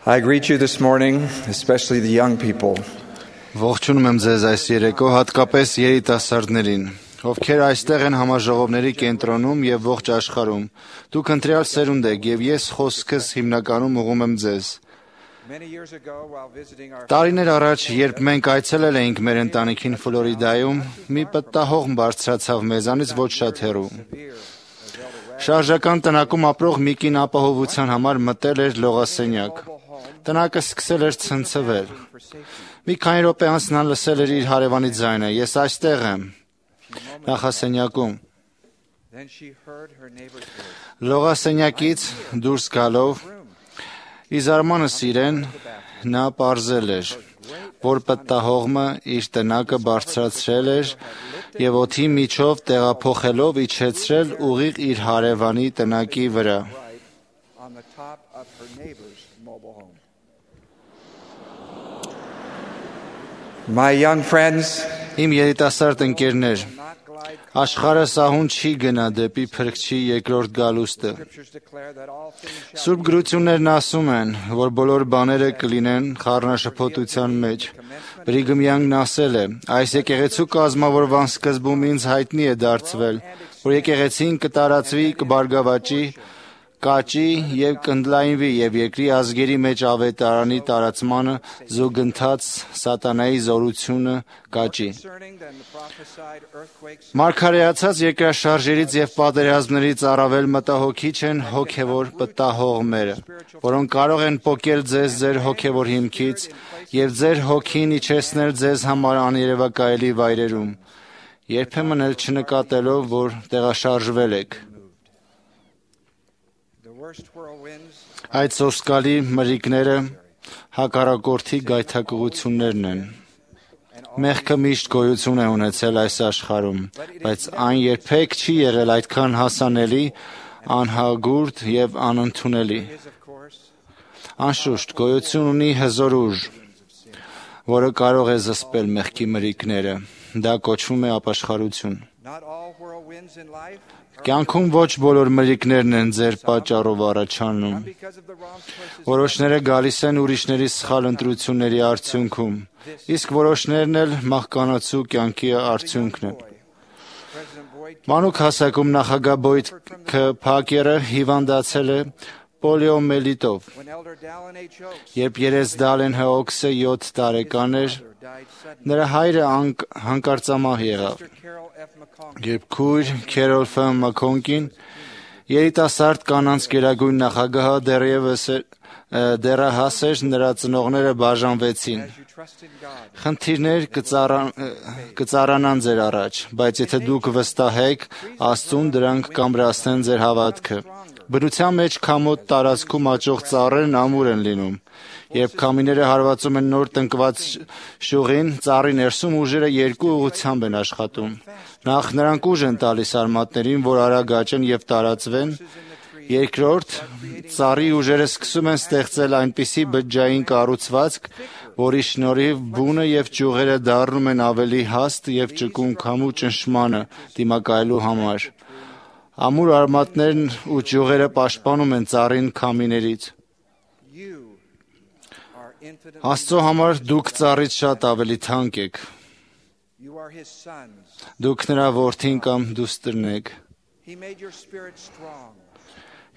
I greet you this morning, especially the young people. Ողջունում եմ ձեզ այս երեկո, հատկապես երիտասարդներին, ովքեր այստեղ են համաժողովների կենտրոնում եւ ողջ աշխարհում։ Դուք ընտրյալ սերունդ եք եւ ես խոսքս հիմնականում ուղղում եմ ձեզ։ Տարիներ առաջ, երբ մենք այցելել էինք մեր ընտանիքին Ֆլորիդայում, մի պտտահողմ բարձրացավ մեզանից ոչ շատ հեռու։ Շարժական տնակում ապրող մի կին ապահովության համար մտել էր լողասենյակ։ Տնակը սկսել էր ցնցվել։ Մի քանի րոպե անց նա լսել էր իր հարևանի ձայնը. «Ես այստեղ եմ, նախասենյակում»։ Լողասենյակից դուրս գալով, ի զարմանս իրեն, նա պարզել էր, որ պտտահողմը իր տնակը բարձրացրել էր եւ օդի միջով տեղափոխելով իջեցրել ուղիղ իր հարևանի տնակի վրա։ My young friends, Իմ երիտասարդ ընկերներ, աշխարհը սահուն չի գնա դեպի փրկչի երկրորդ գալուստը։ Սուրբ գրություններն ասում են, որ բոլոր բաները կլինեն խառնաշփոթության մեջ։ Բրիգհամ Յանգն ասել է. «Այս եկեղեցու կազմավորման սկզբում ինձ հայտնի է դարձվել, որ եկեղեցին կտարածվի, կբարգավաճի, կաճի եւ կընդլայնվի եւ երկրի ազգերի մեջ ավետարանի տարածմանը զուգընթաց սատանայի զորությունը կաճի»։ Մարգարեացած երկրաշարժերից եւ պատերազմներից առավել մտահոգիչ են հոգեվոր պտտահողմերը, որոնք կարող են պոկել ձեզ ձեր հոգեվոր հիմքից եւ ձեր հոգին իջեցնել ձեզ համար աներևակայելի վայրերում, երբեմն էլ չնկատելով, որ տեղաշարժվել եք։ Այդ սոսկալի մրրիկները հակառակորդի գայթակղություններն են։ Մեղքը միշտ գոյություն է ունեցել այս աշխարհում, բայց այն երբեք չի եղել այդքան հասանելի, անհագուրդ եւ անընդունելի։ Անշուշտ, գոյություն ունի հզոր ուժ, որը կարող է զսպել մեղքի մրրիկները։ Դա կոչվում է ապաշխարություն։ Կյանքում ոչ բոլոր մրրիկներն են ձեր պատճառով առաջանում։ Որոշները գալիս են ուրիշների սխալ ընտրությունների արդյունքում, իսկ որոշներն էլ մահկանացու կյանքի արդյունքն է։ Մանուկ հասակում նախագահ Բոյդ Ք. Փակերը հիվանդացել է պոլիոմելիտով։ Երբ երես Դալեն Հոքսը 7 տարեկան էր, նրա հայրը հանկարծամահ եղավ։ Երբ քույր Քերոլ Ֆ. Մաքոնկին, երիտասարդ կանանց գերագույն նախագահը դեռահաս էր, նրա ծնողները բաժանվեցին։ Խնդիրներ կծառանան ձեր առաջ, բայց եթե դուք վստահեք Աստծուն, դրանք կամրացնեն ձեր հավատքը։ Բնության մեջ քամոտ տարածքում աճող ծառերն ամուր են լինում։ Երբ քամիները հարվածում են նոր տնկված շյուղին, ծառի ներսում ուժերը երկու ուղղությամբ են աշխատում։ Նախ նրանք ուժ են տալիս արմատներին, որ արագ աճեն եւ տարածվեն։ Երկրորդ, ծառի ուժերը սկսում են ստեղծել այնպիսի բջջային կառուցվածք, որի շնորհիվ բունը եւ ճյուղերը դառնում են ավելի հաստ եւ ճկուն քամու ճնշմանը դիմակայելու համար։ Ամուր արմատներն ու ճյուղերը պաշտպանում են ծառին քամիներից։ Աստծո համար դուք ծառից շատ ավելի թանկ եք։ Դուք նրա որդին կամ դուստրն եք։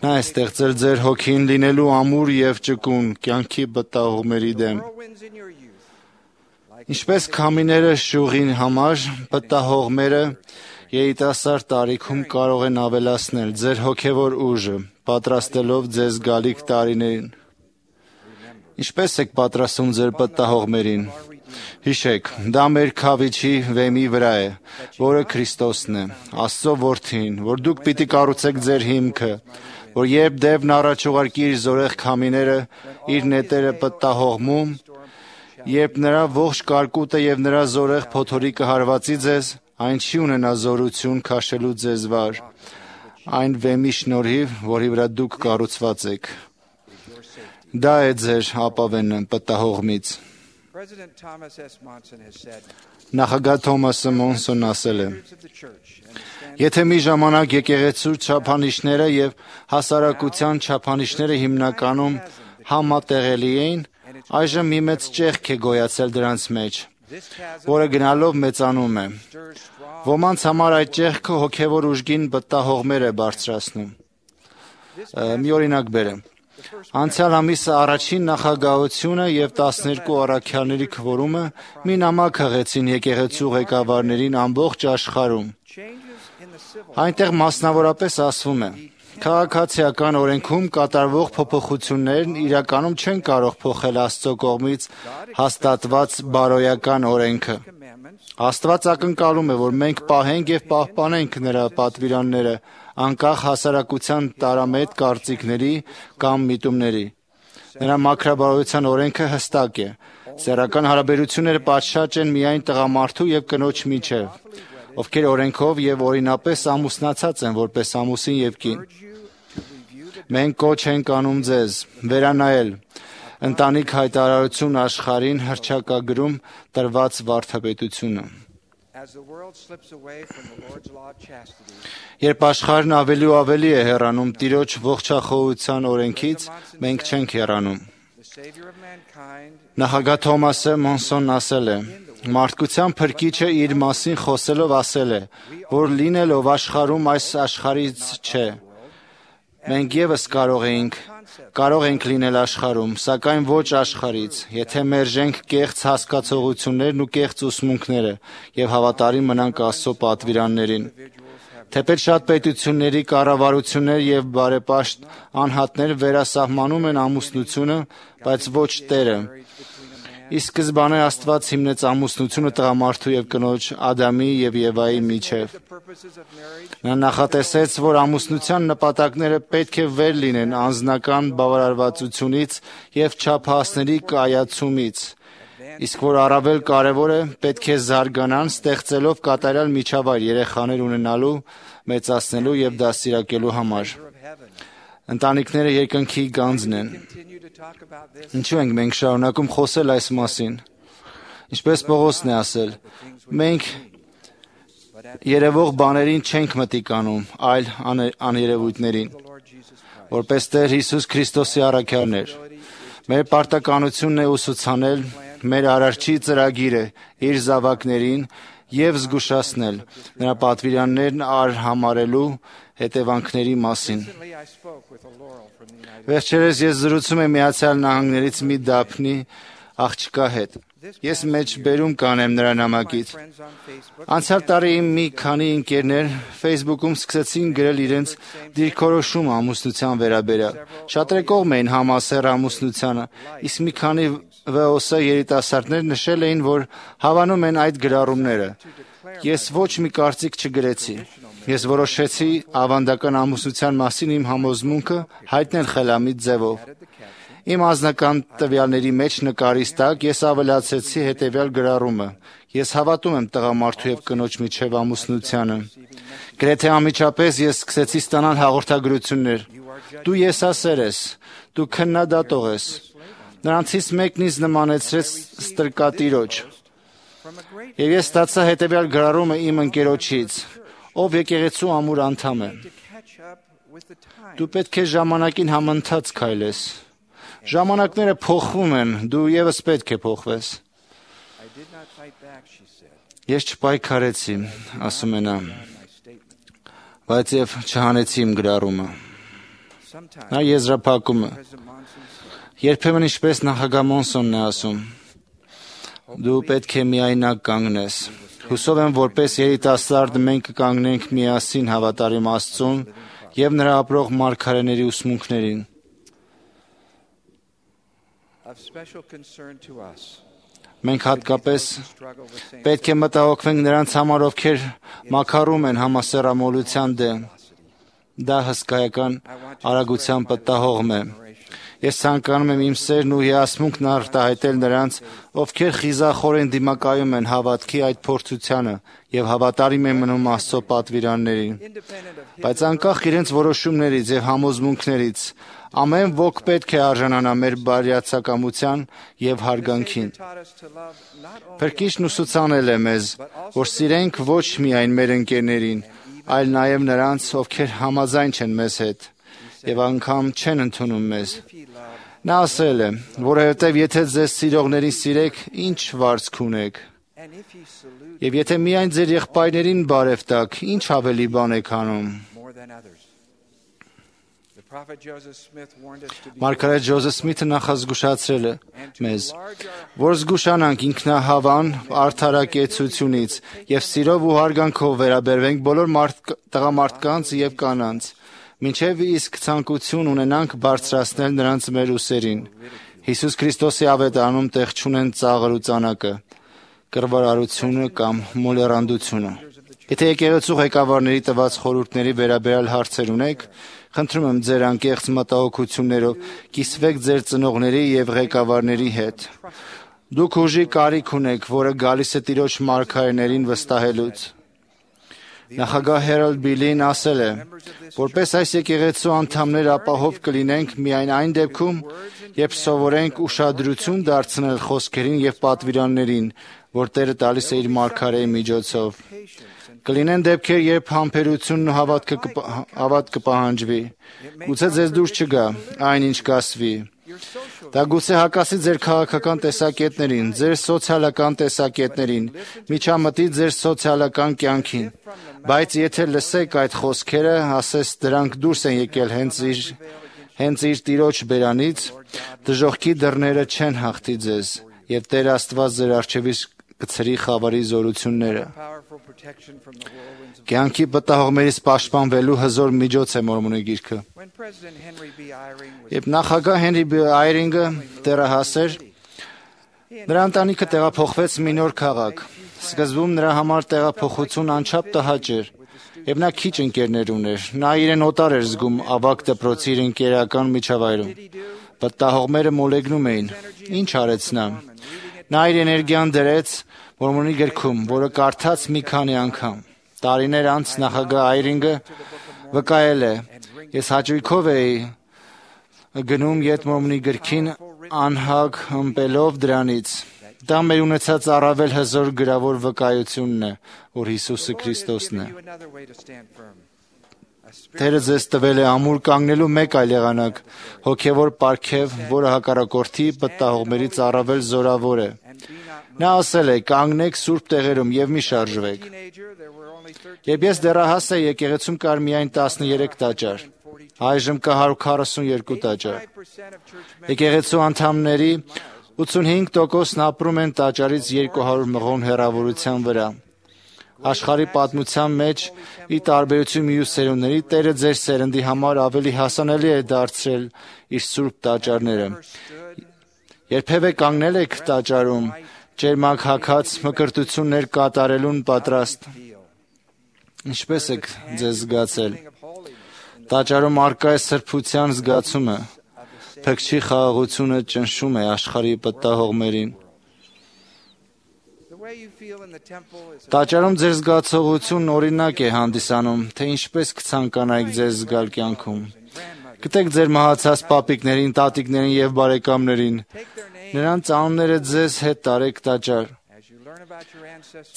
Նա է ստեղծել ձեր հոգին լինելու ամուր եւ ճկուն կյանքի պտտահողմերի դեմ։ Ինչպես քամիները շյուղին համար, պտտահողմերը երիտասարդ տարիքում կարող են ավելացնել ձեր հոգեվոր ուժը, պատրաստելով ձեզ գալիք տարիներին։ Ինչպես եք պատրաստում ձեր պտտահողմերին։ Հիշեք, դա մեր քավիչի վեմի վրա է, որը Քրիստոսն է, Աստծո որդին, որ դուք պիտի կառուցեք ձեր հիմքը, որ երբ դևն առաջ ուղարկի իր զորեղ քամիները, իր նետերը պտտահողմում, երբ նրա ողջ կարկուտը եւ նրա զորեղ փոթորիկը հարվածի ձեզ, այն չի ունենա զորություն քաշելու ձեզ վար, այն վեմի շնորհիվ, որի վրա դուք կառուցված եք։ Դա է ձեր ապավենը պտտահողմից։ Նախագահ Թոմասը Մոնսոնն ասել է. «Եթե մի ժամանակ եկեղեցու չափանիշները եւ հասարակության չափանիշները հիմնականում համատեղելի էին, այժմ մի մեծ ճեղք է գոյացել դրանց մեջ, որը գնալով մեծանում է։ Ոմանց համար այդ ճեղքը հոգևոր ուժգին վտահողմեր է բարձրացնում։ Մի օրինակ բերեմ։ Անցյալ ամիսը առաջին նախագահությունը և 12 առաքյալների քվորումը մի նամակ հղեցին եկեղեցու ղեկավարներին ամբողջ աշխարհում։ Այնտեղ մասնավորապես ասվում է. քաղաքացիական օրենքում կատարվող փոփոխություններն իրականում չեն կարող փոխել Աստծո կողմից հաստատված բարոյական օրենքը։ Աստված ակնկալում է, որ մենք պահենք և պահպանենք նրա պատվիրանները, անկախ հասարակության տարամետ կարծիքների կամ միտումների։ Նրա մաքրաբարոյության օրենքը հստակ է։ Սեռական հարաբերությունները պատշաճ են միայն տղամարդու և կնոջ միջև, ովքեր օրենքով և օրինապես ամուսնացած են որպես ամուսին և կին։ Մենք կոչ ենք անում ձեզ վերանայել ընտանիք հայտարարություն աշխարհին հռչակագրում տրված վարդապետությունը։ Երբ աշխարհն ավելի ու ավելի է հեռանում Տիրոջ ողջախոհության օրենքից, մենք չենք հեռանում։ Նախագահ Թոմասը Մոնսոնն ասել է. «Մարդկության փրկիչը իր մասին խոսելով ասել է, որ լինելով աշխարհում այս աշխարհից չէ։ Մենք ևս կարող ենք լինել աշխարհում, սակայն ոչ աշխարհից, եթե մերժենք կեղծ հասկացողություններն ու կեղծ ուսմունքները և հավատարիմ մնանք Աստծո պատվիրաններին։ Թեպետ շատ պետությունների կառավարություններ և բարեպաշտ անհատներ վերասահմանում են ամուսնությունը, բայց ոչ Տերը։ Ի սկզբանե Աստված հիմնեց ամուսնությունը տղամարդու և կնոջ Ադամի և Եվայի միջև։ Նա նախատեսեց, որ ամուսնության նպատակները պետք է վեր լինեն անձնական բավարարվածությունից և չափահասների կայացումից, իսկ որ առավել կարևոր է, պետք է զարգանան, ստեղծելով կատարյալ միջավայր երեխաներ ունենալու, մեծացնելու և դաստիարակելու համար։ Ընտանիքները երկնքի գանձն են։ Ինչու ենք մենք շարունակում խոսել այս մասին։ Ինչպես Պողոսն է ասել, մենք երևող բաներին չենք մտիկ անում, այլ աներևույթներին, որպես Տեր Հիսուս Քրիստոսի առաքյալներ։ Մեր պարտականությունն է ուսուցանել մեր Արարչի ծրագիրը իր զավակներին և զգուշացնել նրա պատվիրաններն արհամարհելու հետևանքների մասին։ Վերջերս ես զրուցում եմ Միացյալ Նահանգներից մի դափնի աղջկա հետ։ Ես մեջբերում կանեմ նրա նամակից։ Անցյալ տարի իմ մի քանի ընկերներ Facebook-ում սկսեցին գրել իրենց դիրքորոշումը ամուսնության վերաբերյալ։ Շատերը կողմ էին համասեռ ամուսնությանը, իսկ մի քանի VOS երիտասարդներ նշել էին, որ հավանում են այդ գրառումները։ Ես ոչ մի կարծիք չգրեցի։ Ես որոշեցի ավանդական ամուսնության մասին իմ համոզմունքը հայտնել խելամիտ ձևով։ Իմ անձնական տվյալների մեջ նկարից տակ ես ավելացրեցի հետևյալ գրառումը. ես հավատում եմ տղամարդու և կնոջ միջև ամուսնությանը։ Գրեթե անմիջապես ես սկսեցի ստանալ հաղորդագրություններ. դու եսասեր ես, դու քննադատող ես։ Նրանցից մեկն ինձ նմանեցրեց ստրկատիրոջ։ Եվ ես ստացա հետևյալ գրառումը իմ ընկերոջից, ով եկեղեցու ամուր անդամ է. դու պետք է ժամանակին համընթաց քայլես։ Ժամանակները փոխվում են, դու ևս պետք է փոխվես։ Ես չպայքարեցի, ասում է նա, բայց և չհանեցի իմ գրառումը։ Նա եզրափակում է. երբեմն ինչպես նախագահ Մոնսոնն է ասում, դու պետք է միայնակ կանգնես։ Հուսով եմ, որպես երիտասարդ մենք կկանգնենք միասին հավատարիմ Աստծուն և նրա ապրող մարգարեների ուսմունքներին։ Մենք հատկապես պետք է մտահոգվենք նրանց համար, ովքեր մաքարում են համասեռամոլության դեմ։ Դա հսկայական արագության պատահողմ է։ Ես ցանկանում եմ իմ սերն ու հիասմունքն արտահայտել նրանց, ովքեր խիզախորեն դիմակայում են հավատքի այդ փորձությանը և հավատարիմ են մնում Աստծո պատվիրաններին։ Բայց անկախ իրենց որոշումներից և համոզմունքներից, ամեն ոք պետք է արժանանա մեր բարյացակամության և հարգանքին։ Փրկիչն ուսուցանել է մեզ, որ սիրենք ոչ միայն մեր ընկերներին, այլ նաև նրանց, ովքեր համաձայն չեն մեզ հետ, եւ անգամ չեն ընդունում մեզ։ Նա ասել է, որովհետև եթե ձեզ սիրողներին սիրեք, ինչ վարձք ունեք։ Եվ եթե միայն ձեր եղբայրներին բարև տաք, ինչ ավելի բան եք անում։ Մարգարետ Ջոզեֆ Սմիթը նախազգուշացրել է մեզ, որ զգուշանանք ինքնահավան արդարակեցությունից եւ սիրով ու հարգանքով վերաբերվենք բոլոր տղամարդկանց եւ կանանց, մինչեւ իսկ ցանկություն ունենանք բարձրացնել նրանց մեր ուսերին։ Հիսուս Քրիստոսի ավետարանում տեղ չունեն ծաղր ու ծանակը, կռվարարությունը կամ մոլեռանդությունը։ Եթե եկեղեցու ղեկավարների տված խորհուրդների վերաբերյալ հարցեր ունեք, խնդրում եմ ձեր անկեղծ մտահոգություններով կիսվեք ձեր ծնողների եւ ղեկավարների հետ։ Դուք ուժի կարիք ունեք, որը գալիս է Տիրոջ մարգարեներին վստահելուց։ Նախագահ Հերալդ Բիլին ասել է, որպես այս եկեղեցու անդամներ ապահով կլինենք միայն այն դեպքում, երբ սովորենք ուշադրություն դարձնել խոսքերին եւ պատվիրաններին, որ Տերը տալիս է իր մարգարեի միջոցով։ Կլինեն դեպքեր, երբ համբերությունն ու հավատ կպահանջվի։ Գուցե ձեզ դուրս չգա այն, ինչ կասվի։ Դա գուցե հակասի ձեր քաղաքական տեսակետներին, ձեր սոցիալական տեսակետներին, միջամտի ձեր սոցիալական կյանքին։ Բայց եթե լսեք այդ խոսքերը, ասես դրանք դուրս են եկել հենց իր Տիրոջ բերանից, դժոխքի դռները չեն հաղթի ձեզ, եւ Տեր Աստված ձեր առջևից կցրի խավարի զորությունները։ Կյանքի պատահողներից պաշտպանվելու հզոր միջոց է Մորմոնի գիրքը։ Երբ նախագահ Հենրի B. Այրինգը դեռահաս էր, նրա ընտանիքը տեղափոխվեց մի նոր քաղաք։ Սկզբում նրա համար տեղափոխություն անչափ տհաճ էր, եւ նա քիչ ընկերներ ուներ։ Նա իրեն օտար էր զգում ավագ դպրոցի իր ընկերական միջավայրում։ Պատահողները մոլեգնում էին։ Ինչ արեց նա։ Նա իր էներգիան դրեց Մորմոնի գրքում, որը կարդաց մի քանի անգամ։ Տարիներ անց նախագահ Այրինգը վկայել է. Ես հաճույքով էի գնում Յետ Մորմոնի գրքին անհագ ըմպելով դրանից։ Դա մեր ունեցած առավել հզոր գրավոր վկայությունն է, որ Հիսուսը Քրիստոսն է։ Տերը ձեզ տվել է ամուր կանգնելու մեկ այլ եղանակ, հոգևոր պարգև, որը հակառակորդի պատահողներից առավել զորավոր է։ Նա ասել է. կանգնեք սուրբ տեղերում եւ մի շարժվեք։ Երբ ես դեռահաս էի, եկեղեցում կար միայն 13 տաճար։ Այժմ կա 142 տաճար։ Եկեղեցու անդամների 85%-ն ապրում են տաճարից 200 մղոն հեռավորության վրա։ Աշխարհի պատմության մեջ, ի տարբերություն մյուս սերունդների, Տերը ձեր սերնդի համար ավելի հասանելի է դարձրել իր սուրբ տաճարները։ Երբևէ կանգնել եք տաճարում, ջերմակ հագած մկրտություններ կատարելուն պատրաստ։ Ինչպես եք ձեզ զգացել։ Տաճարում առկա է սրբության զգացումը, փքչի խաղաղությունը ճնշում է աշխարհի պատահողներին։ Տաճարում ձեր զգացողությունն օրինակ է հանդիսանում, թե ինչպես կցանկանայիք ձեզ զգալ կյանքում։ Գտեք ձեր մահացած պապիկներին, տատիկներին եւ բարեկամներին։ Նրանց անունները ձեզ հետ տարեք տաճար։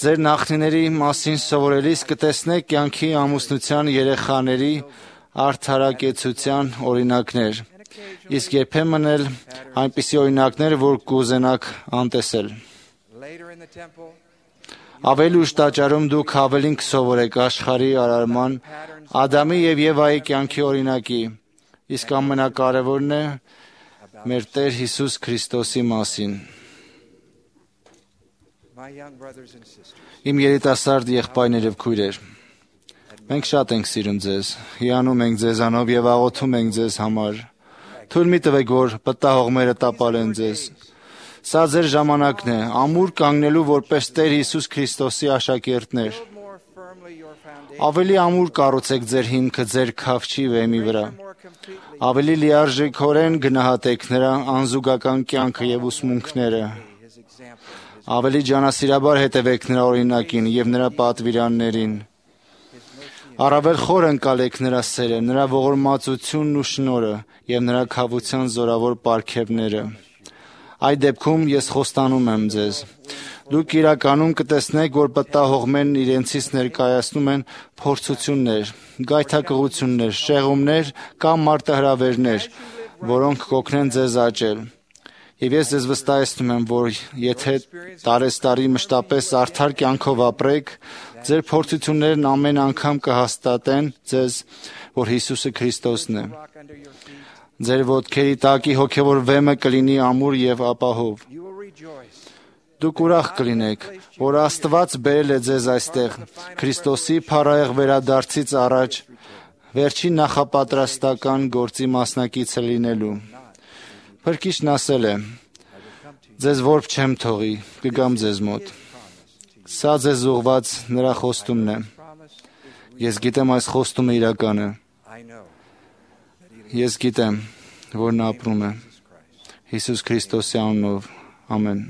Ձեր նախնիների մասին սովորելիս կտեսնեք կյանքի ամուսնության երեխաների արդարակեցության օրինակներ, իսկ երբեմն էլ այնպիսի օրինակներ, որ կուզենաք անտեսել։ Ավելի ուշ տաճարում դուք ավելին կսովորեք աշխարհի արարման, Ադամի եւ Եվայի կյանքի օրինակի, իսկ ամենակարևորն է մեր Տեր Հիսուս Քրիստոսի մասին։ Իմ երիտասարդ եղբայրներ եւ քույրեր, մենք շատ ենք սիրում ձեզ, հիանում ենք ձեզանով եւ աղոթում ենք ձեզ համար։ Թույլ մի տվեք, որ պատահողները տապալեն ձեզ։ Սա ձեր ժամանակն է, ամուր կանգնելու որպես Տեր Հիսուս Քրիստոսի աշակերտներ։ Ավելի ամուր կառուցեք ձեր հիմքը ձեր քավչի վեմի վրա։ Ավելի լիարժեքորեն գնահատեք նրա անզուգական կյանքը եւ ուսմունքները։ Ավելի ջանասիրաբար հետևեք նրա օրինակին եւ նրա պատվիրաններին։ Առավել խոր ընկալեք նրա սերը, նրա ողորմածությունն ու շնորհը եւ նրա քավության զորավոր պարգևները։ Այդ դեպքում ես խոստանում եմ ձեզ, Դուք իրականում կտեսնեք, որ պատահողներն իրենցից ներկայացնում են փորձություններ, գայթակղություններ, շեղումներ կամ մարտահրավերներ, որոնք կօգնեն ձեզ աճել։ Եվ ես ձեզ վստահեցնում եմ, որ եթե տարեստարի մշտապես արդար կյանքով ապրեք, ձեր փորձություններն ամեն անգամ կհաստատեն ձեզ, որ Հիսուսը Քրիստոսն է։ Ձեր ոտքերի տակի հոգևոր վեմը կլինի ամուր եւ ապահով։ Դուք ուրախ կլինեք, որ Աստված բերել է ձեզ այստեղ Քրիստոսի փառահեղ վերադարձից առաջ վերջին նախապատրաստական գործի մասնակիցը լինելու։ Փրկիչն ասել է. «Ձեզ որբ չեմ թողի, կգամ ձեզ մոտ»։ Սա ձեզ ուղված նրա խոստումն է։ Ես գիտեմ այս խոստումը իրական է։ Ես գիտեմ, որ նա ապրում է։ Հիսուս Քրիստոսի անունով։ Ամեն։